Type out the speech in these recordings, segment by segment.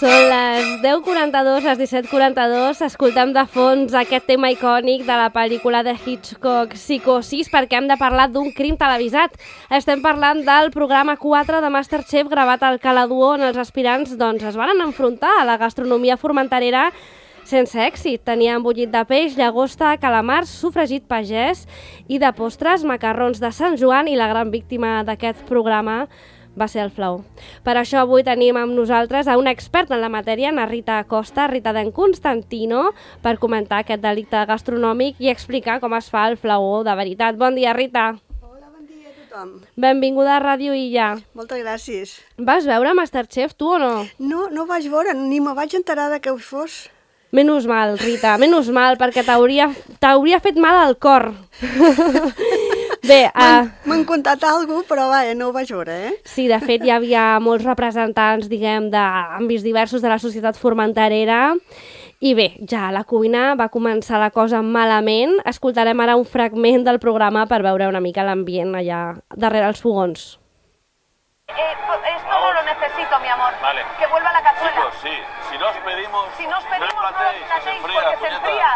Són les 10:42, les 17:42. Escoltem de fons aquest tema icònic de la pel·lícula de Hitchcock, Psicosis, perquè hem de parlar d'un crim televisat. Estem parlant del programa 4 de Masterchef gravat al Cala Duo, on els aspirants es van enfrontar a la gastronomia formenterera sense èxit. Tenien bullit de peix, llagosta, calamars, sofregit pagès i de postres, macarrons de Sant Joan, i la gran víctima d'aquest programa va ser el flaó. Per això avui tenim amb nosaltres a una experta en la matèria, na Rita Costa, Rita d'en Constantino, per comentar aquest delicte gastronòmic i explicar com es fa el flaó de veritat. Bon dia, Rita. Hola, bon dia a tothom. Benvinguda a Ràdio Illa. Moltes gràcies. Vas veure Masterchef, tu o no? No vaig veure, ni me vaig enterar de què ho fos. Menys mal, Rita, menys mal, perquè t'hauria fet mal al cor. Bé, m'han contat alguna cosa, però vaja, no ho vaig veure, eh? Sí, de fet, hi havia molts representants, diguem, d'àmbits diversos de la societat formenterera. I bé, ja la cuina va començar la cosa malament. Escoltarem ara un fragment del programa per veure una mica l'ambient allà darrere els fogons. Esto no lo necesito, mi amor. Vale. Que vuelva la cazuela. Chicos, sí. Si nos pedimos, no os platéis, se enfría, porque se enfría.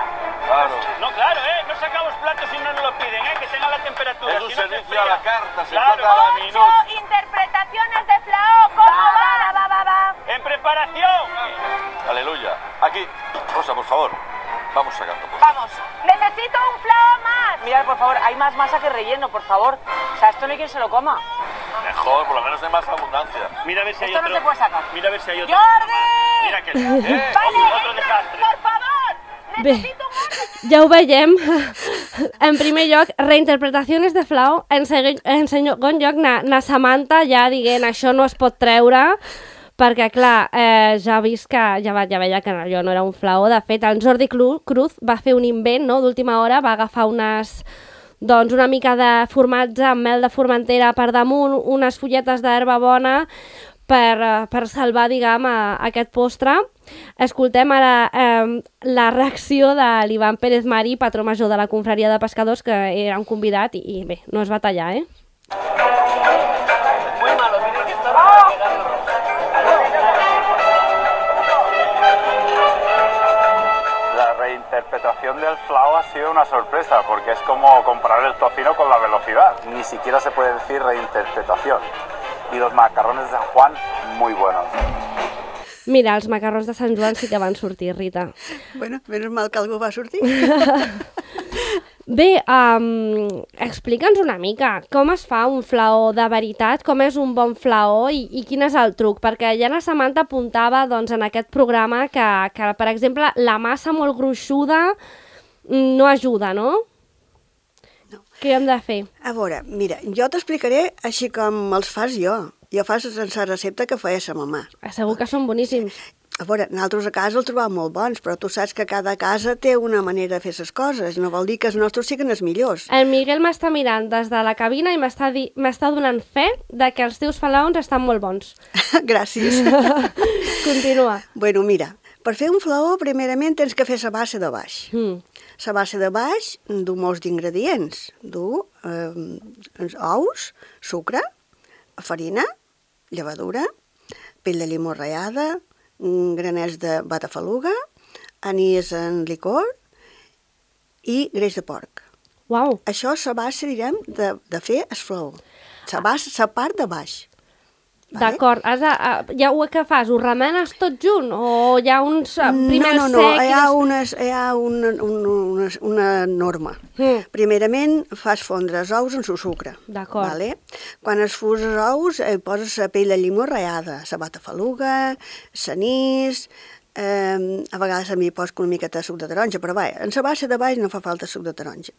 Claro. No, claro, no sacamos platos si no nos lo piden, que tenga la temperatura. Es un si no se servicio a la carta, se Claro. trata a la 8 minuta. interpretaciones de Flao. ¿Cómo va? ¡En preparación! Aleluya. Aquí, Rosa, por favor. Vamos sacando. Vamos. Necesito un Flao más. Mirad, por favor, hay más masa que relleno, por favor. O sea, esto no hay quien se lo coma. Mejor, por lo menos hay más abundancia. Mira a ver si hay Esto otro. no se puede sacar. Mira a ver si hay otro. ¡Jordi! Mira que Vale, otro desastre. por favor. Bé, ja ho veiem. En primer lloc, reinterpretacions de Flau. En segon lloc, na Samantha ja dient això no es pot treure, perquè, clar, ja ha vist que ja veia que allò no era un flaó. De fet, el Jordi Cruz va fer un invent, no?, d'última hora, va agafar una mica de formatge amb mel de Formentera per damunt, unes fulletes d'herba bona per salvar, diguem, aquest postre. Escoltem ara la reacció de l'Ivan Pérez Mari, patró major de la confraria de pescadors, que era un convidat i bé, no es va tallar, Muy malo, tiene que estar para pegarlo. La reinterpretación del flaó ha sido una sorpresa, porque es como comparar el tocino con la velocidad. Ni siquiera se puede decir reinterpretación. Y los macarrones de San Juan, muy buenos. Mira, els macarrons de Sant Joan sí que van sortir, Rita. Bueno, menys mal que algú va sortir. Bé, explica'ns una mica com es fa un flaó de veritat, com és un bon flaó i quin és el truc, perquè ja la Samantha apuntava en aquest programa que, per exemple, la massa molt gruixuda no ajuda, no? No. Què hem de fer? A veure, mira, jo t'explicaré així com els fas jo. Jo fas sense recepta que feia sa mamà. Segur que són boníssims. A veure, nosaltres a casa els trobàvem molt bons, però tu saps que cada casa té una manera de fer les coses. No vol dir que els nostres siguin els millors. El Miguel m'està mirant des de la cabina i m'està donant fe de que els teus flaons estan molt bons. Gràcies. Continua. Bueno, mira, per fer un flaó, primerament tens que fer la base de baix. La base de baix du molts d'ingredients. Du ous, sucre, farina, llevadura, pell de limó ratllada, granets de batafaluga, anís en licor i greix de porc. Uau. Això és la base, direm, de fer el flaó. La part de baix. D'acord, ja ho que fas, ho remenes tot junt o hi ha uns primers No, secs? hi ha una norma. Primerament fas fondre els ous en el sucre. D'acord. Vale? Quan es fus els ous poses la pell de llimó ratllada, la batafaluga, l'anís, a vegades a mi poso una miqueta de suc de taronja, però vaja, en la base de baix no fa falta suc de taronja.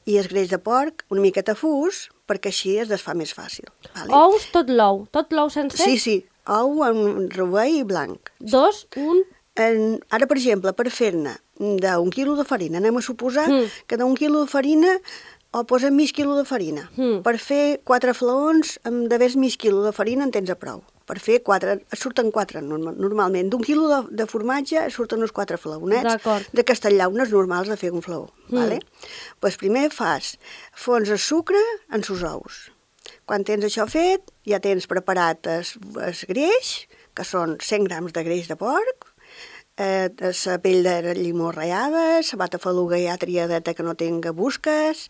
I el greix de porc, una miqueta fus, perquè així es desfà més fàcil. Vale? Ous, tot l'ou sencer? Sí, ou en rovell i blanc. 2, 1... Ara, per exemple, per fer-ne d'un quilo de farina, anem a suposar que d'un quilo de farina o posem mig quilo de farina. Per fer 4 flaons, de ves mig quilo de farina en tens a prou. Per fer 4, surten 4 normalment. D'un quilo de formatge surten uns 4 flaonets de castellà, unes normals de fer un flaó. Vale? Pues primer fons el sucre en sos ous. Quan tens això fet, ja tens preparat el greix que són 100 grams de greix de porc, la pell de llimó ratllada, la batafaluga ja triadeta que no tenga busques,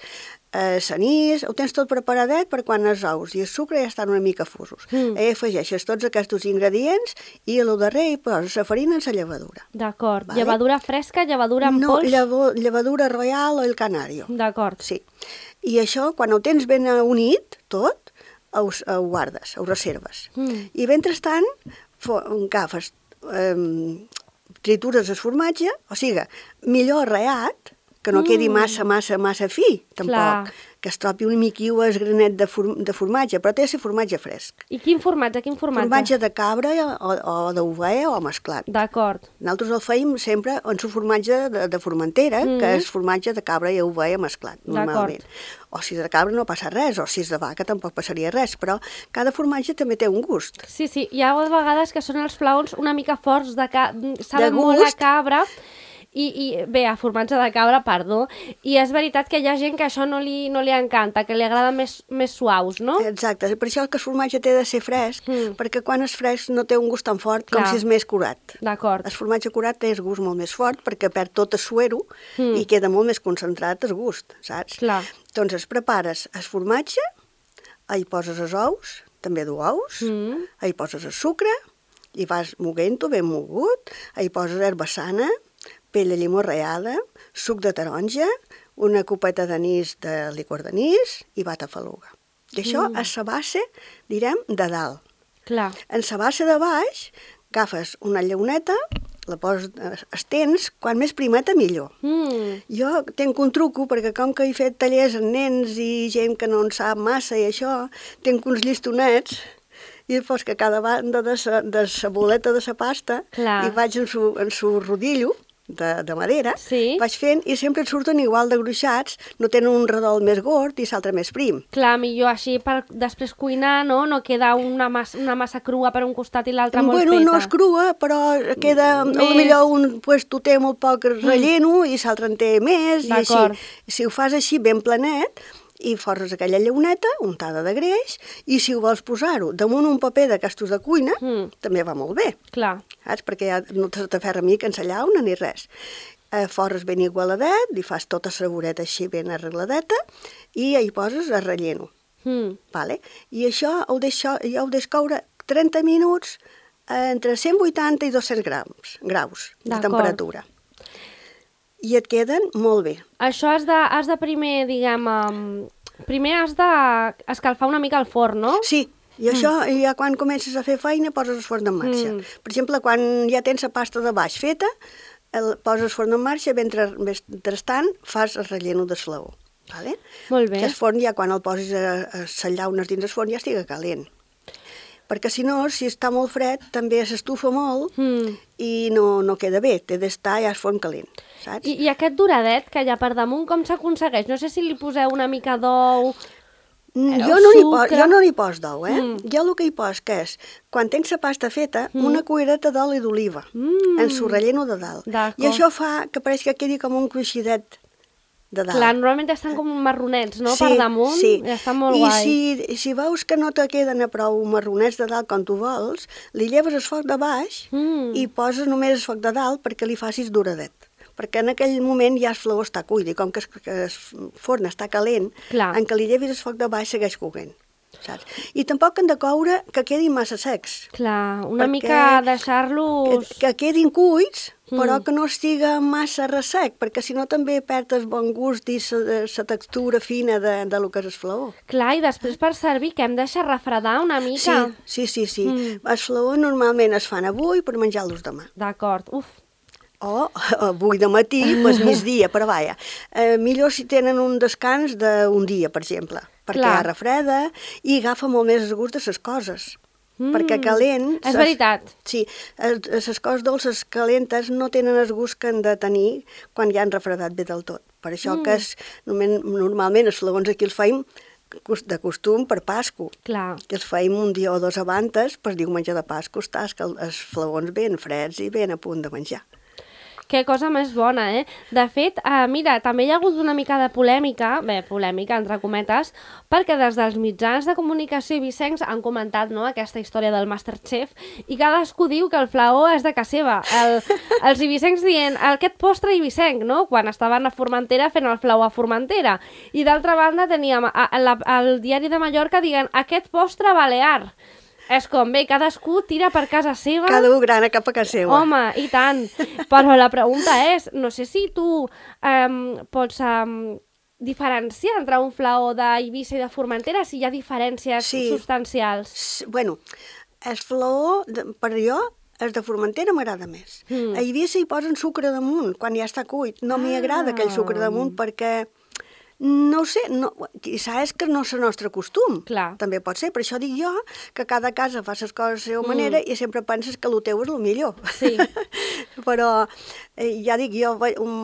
l'anís, ho tens tot preparadet per quan els ous i el sucre ja estan una mica fusos. Afegeixes tots aquests ingredients i a lo darrer hi poses la farina en la llevadura. D'acord. Vale. Llevadura fresca, llevadura en pols? No, llevadura royal o el canario. D'acord. Sí. I això, quan ho tens ben unit, tot, ho guardes, ho reserves. I mentrestant, agafes, tritures el formatge, o sigui, millor arreat, que no quedi massa fi, tampoc. Clar. Que es trobi un miquiu el granet de formatge, però té de ser formatge fresc. I quin formatge, Formatge de cabra o d'ovella o mesclat. D'acord. Nosaltres el feim sempre en el formatge de Formentera, que és formatge de cabra i ovella mesclat, normalment. O si és de cabra no passa res, o si és de vaca tampoc passaria res, però cada formatge també té un gust. Sí, hi ha vegades que són els flaons una mica forts, saben molt a cabra, i bé, a formatge de cabra, perdó, i és veritat que hi ha gent que això no li encanta, que li agrada més suaus, no? Exacte, per això que el formatge té de ser fresc, perquè quan és fresc no té un gust tan fort com si és més curat. D'acord. El formatge curat té el gust molt més fort perquè perd tot el suero i queda molt més concentrat el gust, saps? Clar. Doncs prepares el formatge, hi poses els ous, també d'ous, hi poses el sucre, i vas moguent-ho ben mogut, hi poses herba sana, pell de llimó ratllada, suc de taronja, una copeta d'anís de licor d'anís i batafaluga. I això és la base, direm, de dalt. Clar. En la base de baix, agafes una llauneta, la poses, estens, quan més primeta millor. Jo tinc un truco, perquè com que he fet tallers amb nens i gent que no en sap massa i això, tinc uns llistonets, i després que a cada banda de la boleta de la pasta hi vaig en su rodillo de madera, vaig fent i sempre et surten igual de gruixats, no tenen un redol més gord i l'altre més prim. Clar, millor així per després cuinar, no? No queda una massa crua per un costat i l'altre molt feta. No és crua, però queda, potser tu té molt poc relleno i l'altre en té més, i així. Si ho fas així ben planet, i forres aquella llauneta untada de greix, i si ho vols posar-ho damunt un paper d'aquestos de cuina, també va molt bé. Clar. Saps? Perquè ja no t'aferra mica en la llauna ni res. Forres ben igualadet, li fas tota la voreta així ben arregladeta, i hi poses el relleno. Vale? I això ho deix coure 30 minuts entre 180 i 200 graus de temperatura. I et queden molt bé. Això has de primer, diguem, primer has d'escalfar una mica el forn, no? Sí, i això ja quan comences a fer feina poses el forn en marxa. Per exemple, quan ja tens la pasta de baix feta, poses el forn en marxa, mentrestant fas el relleno de flaó. Vale? Molt bé. Que el forn ja quan el posis a les llaunes dins el forn ja estiga calent. Perquè si no, si està molt fred, també s'estufa molt i no queda bé, té d'estar ja el forn calent, saps? I aquest doradet que hi ha per damunt, com s'aconsegueix? No sé si li poseu una mica d'ou, Jo no n'hi pos d'ou, Jo el que hi pos que és, quan tens la pasta feta, una cullereta d'oli d'oliva, en su relleno de dalt. I això fa que pareix que quedi com un cruixidet de dalt. Clar, normalment estan com marronets, no? Per damunt, i estan molt guai. I si veus que no te queden a prou marronets de dalt com tu vols, li lleves el foc de baix i poses només el foc de dalt perquè li facis doradet. Perquè en aquell moment ja el flaó està cuit i com que el forn està calent, en què li llevis el foc de baix segueix coent. Saps? I tampoc han de coure que quedin massa secs. Clar, una mica deixar-los... Que quedin cuits, però que no estiga massa ressec, perquè si no també perd el bon gust i la textura fina de lo que és el flaó. Clar, i després per servir, que hem de deixar refredar una mica. Sí. El flaó normalment es fan avui per menjar-los demà. D'acord, O avui de matí, pues migdia, però vaja. Millor si tenen un descans d'un dia, per exemple, perquè ja refreda i agafa molt més el gust de les coses. Perquè calent... És veritat. Sí, les coses dolces calentes no tenen el gust que han de tenir quan ja han refredat bé del tot. Per això que normalment els flaons aquí els feim de costum per Pasco. Clar. Que els feim un dia o dos abans, per diumenge de Pasco, estàs que els flaons ben freds i ben a punt de menjar. Que cosa més bona, eh? De fet, mira, també hi ha hagut una mica de polèmica, entre cometes, perquè des dels mitjans de comunicació ibicencs han comentat, no?, aquesta història del Masterchef i cadascú diu que el flaó és de casa seva. Els ibicencs dient, aquest postre ibicenc, no?, quan estaven a Formentera fent el flaó a Formentera. I d'altra banda teníem el diari de Mallorca dient, aquest postre balear. És com, bé, cadascú tira per casa seva. Cada un grana cap a casa seva. Home, i tant. Però la pregunta és, no sé si tu pots diferenciar entre un flaó d'Eivissa i de Formentera, si hi ha diferències substancials. Bueno, el flaó, per jo, el de Formentera m'agrada més. A Eivissa hi posen sucre damunt, quan ja està cuit. No m'hi agrada aquell sucre damunt perquè... No ho sé, quizà és que no és el nostre costum. Clar. També pot ser, per això dic jo que cada casa fa les coses a la seva manera i sempre penses que el teu és el millor. Sí. Però ja dic, jo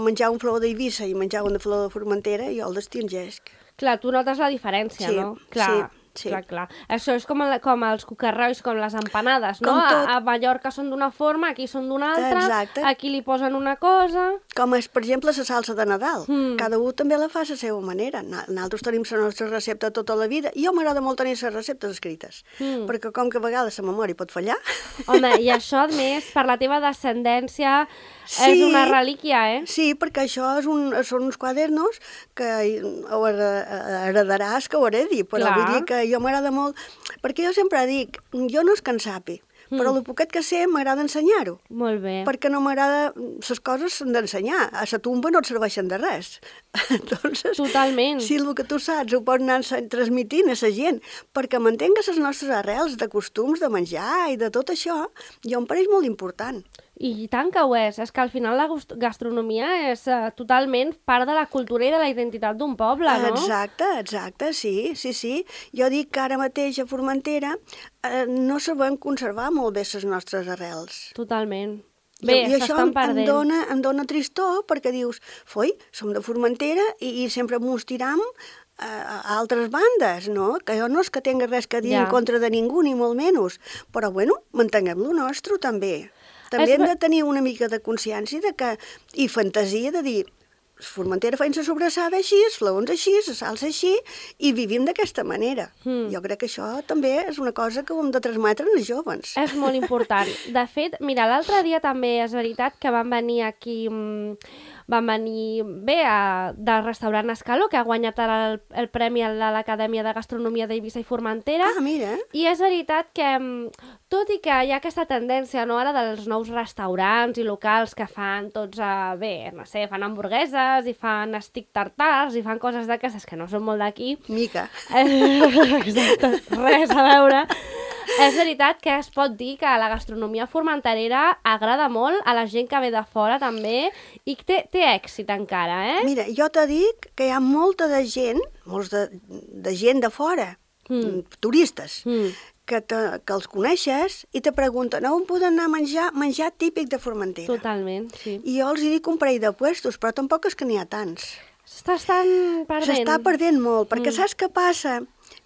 menjar un flaó d'Eivissa i menjar un de flaó de Formentera, jo el distingesc. Clar, tu notes la diferència, no? Clar. Sí. Clar. Això és com els cucarrois, com les empanades, no? A Mallorca són d'una forma, aquí són d'una altra, exacte. Aquí li posen una cosa... Com és, per exemple, la salsa de Nadal. Cada un també la fa a la seva manera. Nosaltres tenim la nostra recepta tota la vida. I jo m'agrada molt tenir les receptes escrites, perquè com que a vegades la memòria pot fallar... Home, i això, a més, per la teva descendència, és una relíquia, eh? Sí, perquè això són uns quadernos que heredaràs que ho heredi, però vull dir que jo m'agrada molt, perquè jo sempre dic, jo no és que en sapi, però el poquet que sé m'agrada ensenyar-ho. Molt bé. Perquè no m'agrada... Les coses s'han d'ensenyar. A la tumba no et serveixen de res. Entonces, totalment. Si el que tu saps ho pots anar transmitint a la gent, perquè mantengues les nostres arrels de costums, de menjar i de tot això, jo em pareix molt important. I tant que ho és que al final la gastronomia és totalment part de la cultura i de la identitat d'un poble, no? Exacte, sí. Jo dic que ara mateix a Formentera no sabem conservar molt bé les nostres arrels. Totalment. Bé, s'estan perdent. I això em dona tristor perquè dius, som de Formentera i sempre mos tiram a altres bandes, no? Que jo no és que tingui res que dir en contra de ningú, ni molt menys, però bueno, mantinguem lo nostre també. També hem de tenir una mica de consciència i fantasia de dir, Formentera feien la sobrassada així, els flaons així, la salsa així, i vivim d'aquesta manera. Jo crec que això també és una cosa que ho hem de transmetre als joves. És molt important. De fet, mira, l'altre dia també és veritat que van venir aquí... Van venir del restaurant Escaló, que ha guanyat el premi a l'Acadèmia de Gastronomia d'Eivissa i Formentera. Ah, mira. I és veritat que, tot i que hi ha aquesta tendència, no, ara dels nous restaurants i locals que fan tots, fan hamburgueses i fan stick tartars i fan coses d'aquestes que no són molt d'aquí. Mica. Exacte, res a veure. És veritat que es pot dir que la gastronomia formenterera agrada molt a la gent que ve de fora també i que té èxit encara, eh? Mira, jo t'he dit que hi ha molta de gent, molts de gent de fora, turistes, que els coneixes i te pregunten on poden anar a menjar típic de Formentera. Totalment, sí. I jo els dic un parell de puestos, però tampoc és que n'hi ha tants. S'estan perdent. S'està perdent molt, perquè saps què passa?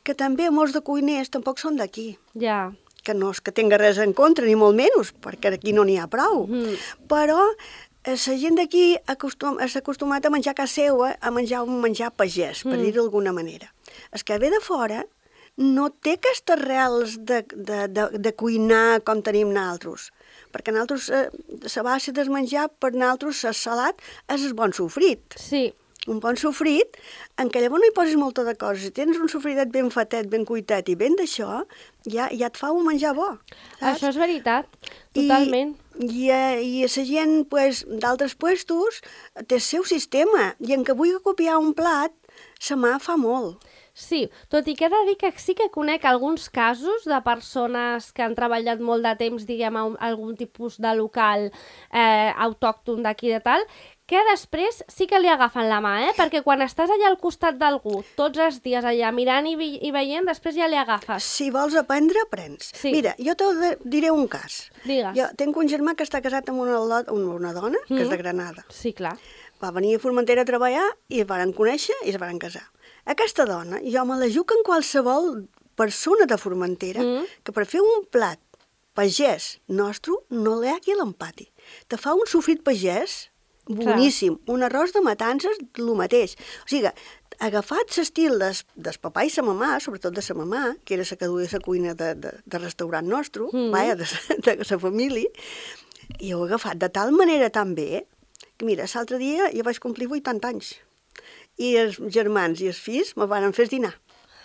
Que també molts de cuiners tampoc són d'aquí. Ja. Que no és que tinga res en contra, ni molt menys, perquè aquí no n'hi ha prou. Però la gent d'aquí s'ha acostumat a menjar a casa seva, a menjar un menjar pagès, per dir-ho d'alguna manera. El que ve de fora no té aquestes arrels de cuinar com tenim nosaltres. Perquè nosaltres, la base del menjar, per nosaltres, el salat és el bon sofrit. Sí. Un bon sofrit, en què llavors no hi poses molta de coses. Si tens un sofritet ben fatet, ben cuitat i ben d'això, ja et fa un menjar bo. Saps? Això és veritat, totalment. I la gent d'altres puestos té el seu sistema, i en què vulgui copiar un plat, sa mà fa molt. Sí, tot i que he de dir que sí que conec alguns casos de persones que han treballat molt de temps, diguem, a algun tipus de local autòcton d'aquí de tal, que després sí que li agafen la mà, perquè quan estàs allà al costat d'algú, tots els dies allà mirant i veient, després ja li agafes. Si vols aprendre, aprens. Sí. Mira, jo te diré un cas. Digues. Jo tinc un germà que està casat amb una dona, que és de Granada. Sí, clar. Va venir a Formentera a treballar i es van conèixer i es van casar. Aquesta dona, jo me la jugo en qualsevol persona de Formentera que per fer un plat pagès nostre no li ha qui l'empati. Te fa un sofrit pagès boníssim. Un arròs de matances, el mateix. O sigui, agafat l'estil del papà i la mamà, sobretot de la mamà, que era la que duia la cuina de restaurant nostre, vaja, de la família, i ho he agafat de tal manera tan bé que, mira, l'altre dia jo vaig complir 80 anys i els germans i els fills me van fer dinar.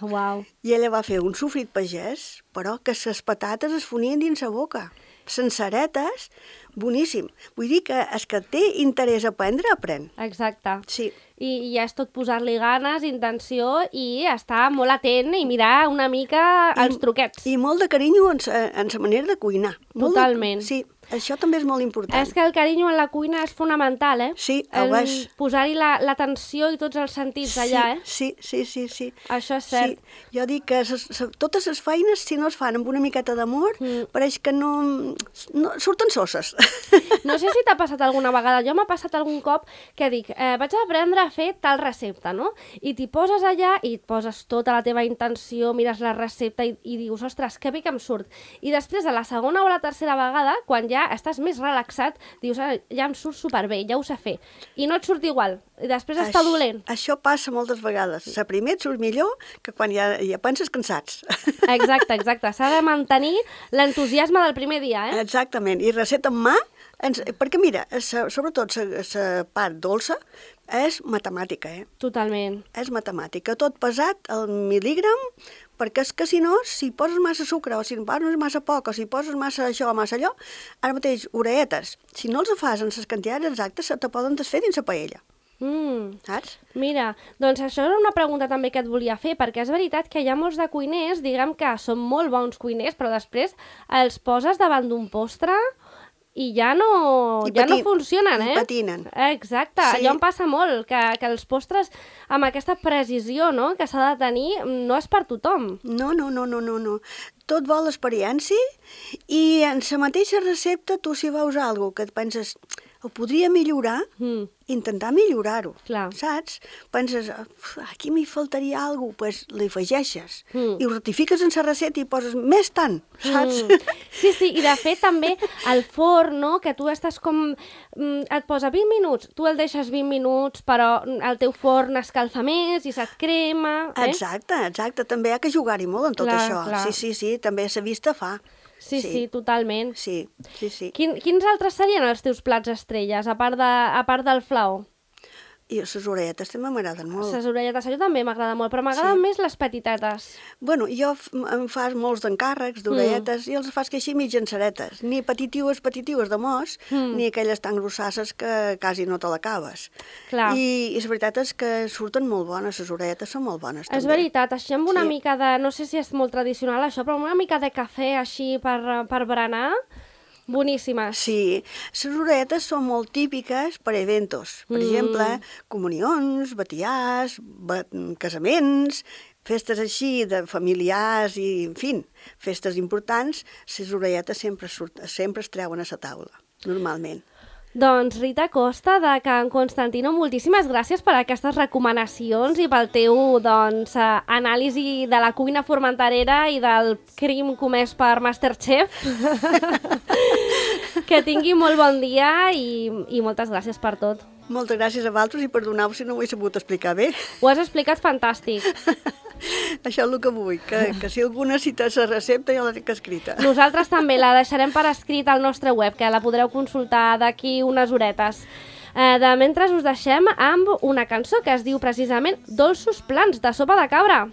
Uau. I ella va fer un sofrit pagès, però que les patates es fonien dins la boca. Senceretes, boníssim. Vull dir que el que té interès a aprendre, aprèn. Exacte. Sí. I ja és tot posar-li ganes, intenció i estar molt atent i mirar una mica els truquets. I molt de carinyo en la manera de cuinar. Totalment. Sí, això també és molt important. És que el carinyo en la cuina és fonamental, eh? Sí, ho és. Posar-hi l'atenció i tots els sentits allà, eh? Sí. Això és cert. Sí. Jo dic que totes les feines, si no es fan amb una miqueta d'amor, pareix que no surten sosses. No sé si t'ha passat alguna vegada, jo m'ha passat algun cop que dic, vaig aprendre a fer tal recepta, no? I t'hi poses allà i et poses tota la teva intenció, mires la recepta i dius, ostres, que bé que em surt. I després, a la segona o la tercera vegada, quan ja estàs més relaxat, dius, ja em surt superbé, ja ho sé fer. I no et surt igual, i després està dolent. Això passa moltes vegades. La primer et surt millor que quan ja penses cansats. Exacte. S'ha de mantenir l'entusiasme del primer dia, eh? Exactament. I recepta en mà, perquè mira, sobretot la part dolça és matemàtica, eh? Totalment. És matemàtica. Tot pesat al mil·lígram, perquè és que si no, si poses massa sucre, o si poses massa poc, o si poses massa això o massa allò, ara mateix, oreetes, si no els fas en les quantitats exactes, se te poden desfer dins la paella. Saps? Mira, doncs això era una pregunta també que et volia fer, perquè és veritat que hi ha molts de cuiners, diguem que són molt bons cuiners, però després els poses davant d'un postre i ja no funcionen, eh? I patinen. Exacte, Sí. allò em passa molt, que els postres amb aquesta precisió, no?, que s'ha de tenir, no és per tothom. No. Tot vol l'experiència i en la mateixa recepta tu si veus alguna cosa que et penses ho podria millorar, intentar millorar-ho, Clar. saps? Penses, aquí m'hi faltaria alguna cosa, doncs li afegeixes i ho ratifiques en la recepta i poses més tant, saps? Sí, i de fet també el forn, no?, que tu estàs com... et posa 20 minuts, tu el deixes 20 minuts, però el teu forn escalfa més i se't crema, eh? Exacte, també hi ha que jugar-hi molt amb tot això. Clar. Sí, també la vista fa. Sí, totalment. Sí. Quins altres serien els teus plats estrelles, a part del flau? I les oreetes també m'agraden molt. Les orelletes, això també m'agrada molt, però m'agraden més les petitetes. Bueno, jo em fas molts d'encàrrecs d'oreetes i els fas que així mig enceretes. Ni petitiues de mos, ni aquelles tan grossasses que quasi no te l'acabes. Clar. I la veritat és que surten molt bones, les oreetes són molt bones també. És veritat, així amb una mica de... No sé si és molt tradicional això, però amb una mica de cafè així per berenar... Boníssimes. Sí, les oreetes són molt típiques per eventos. Per exemple, comunions, batiars, casaments, festes així de familiars i, en fi, festes importants, les oreetes sempre es treuen a la taula, normalment. Doncs Rita Costa, de Can Constantino, moltíssimes gràcies per aquestes recomanacions i pel teu anàlisi de la cuina formenterera i del crim comès per Masterchef. Que tingui molt bon dia i moltes gràcies per tot. Moltes gràcies a vosaltres i perdoneu si no ho he sabut explicar bé. Ho has explicat fantàstic. Això és el que vull, que si algú necessita la recepta ja la tinc escrita. Nosaltres també la deixarem per escrit al nostre web, que la podreu consultar d'aquí unes horetes. De mentre us deixem amb una cançó que es diu precisament Dolços plans de sopa de cabra.